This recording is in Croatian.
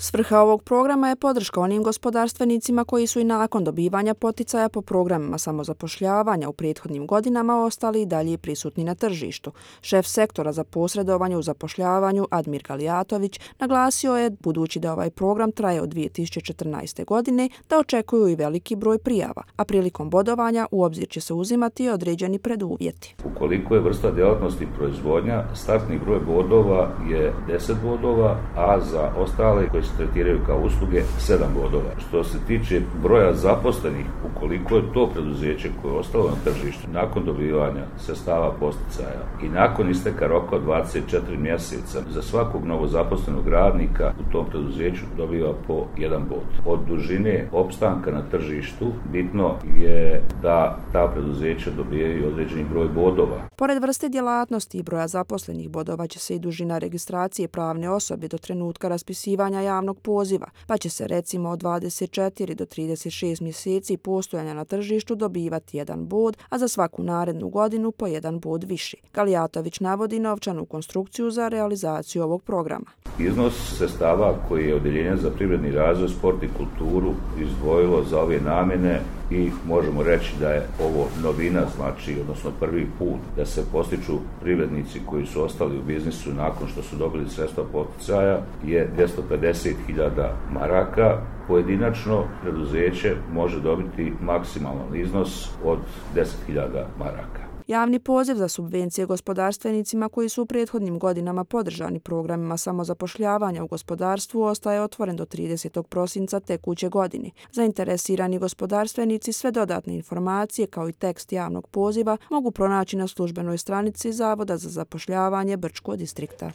Svrha ovog programa je podrška onim gospodarstvenicima koji su i nakon dobivanja poticaja po programima samozapošljavanja u prethodnim godinama ostali i dalje prisutni na tržištu. Šef sektora za posredovanje u zapošljavanju Admir Galijatović naglasio je, budući da ovaj program traje od 2014. godine, da očekuju i veliki broj prijava, a prilikom bodovanja u obzir će se uzimati određeni preduvjeti. Ukoliko je vrsta djelatnosti proizvodnja, startni broj bodova je 10 bodova, a za ostale koji se tretiraju kao usluge 7 bodova. Što se tiče broja zaposlenih, ukoliko je to preduzeće koje je ostalo na tržištu nakon dobivanja sredstava posticaja i nakon isteka roka od 24 mjeseca, za svakog novozaposlenog radnika u tom preduzeću dobiva po 1 bod. Od dužine opstanka na tržištu bitno je da ta preduzeća dobijaju određeni broj bodova. Pored vrste djelatnosti i broja zaposlenih bodova će se i dužina registracije pravne osobe do trenutka raspisivanja javnog poziva, pa će se recimo od 24 do 36 mjeseci postojanja na tržištu dobivati 1 bod, a za svaku narednu godinu po 1 bod više. Galijatović navodi novčanu konstrukciju za realizaciju ovog programa. Iznos sredstava koji je Odjeljenje za privredni razvoj, sport i kulturu izdvojilo za ove namjene i možemo reći da je ovo novina, odnosno prvi put da se postiču privrednici koji su ostali u biznisu nakon što su dobili sredstva poticaja je 250.000 maraka. Pojedinačno preduzeće može dobiti maksimalan iznos od 10.000 maraka. Javni poziv za subvencije gospodarstvenicima koji su u prethodnim godinama podržani programima samozapošljavanja u gospodarstvu ostaje otvoren do 30. prosinca tekuće godine. Zainteresirani gospodarstvenici sve dodatne informacije kao i tekst javnog poziva mogu pronaći na službenoj stranici Zavoda za zapošljavanje Brčko distrikta.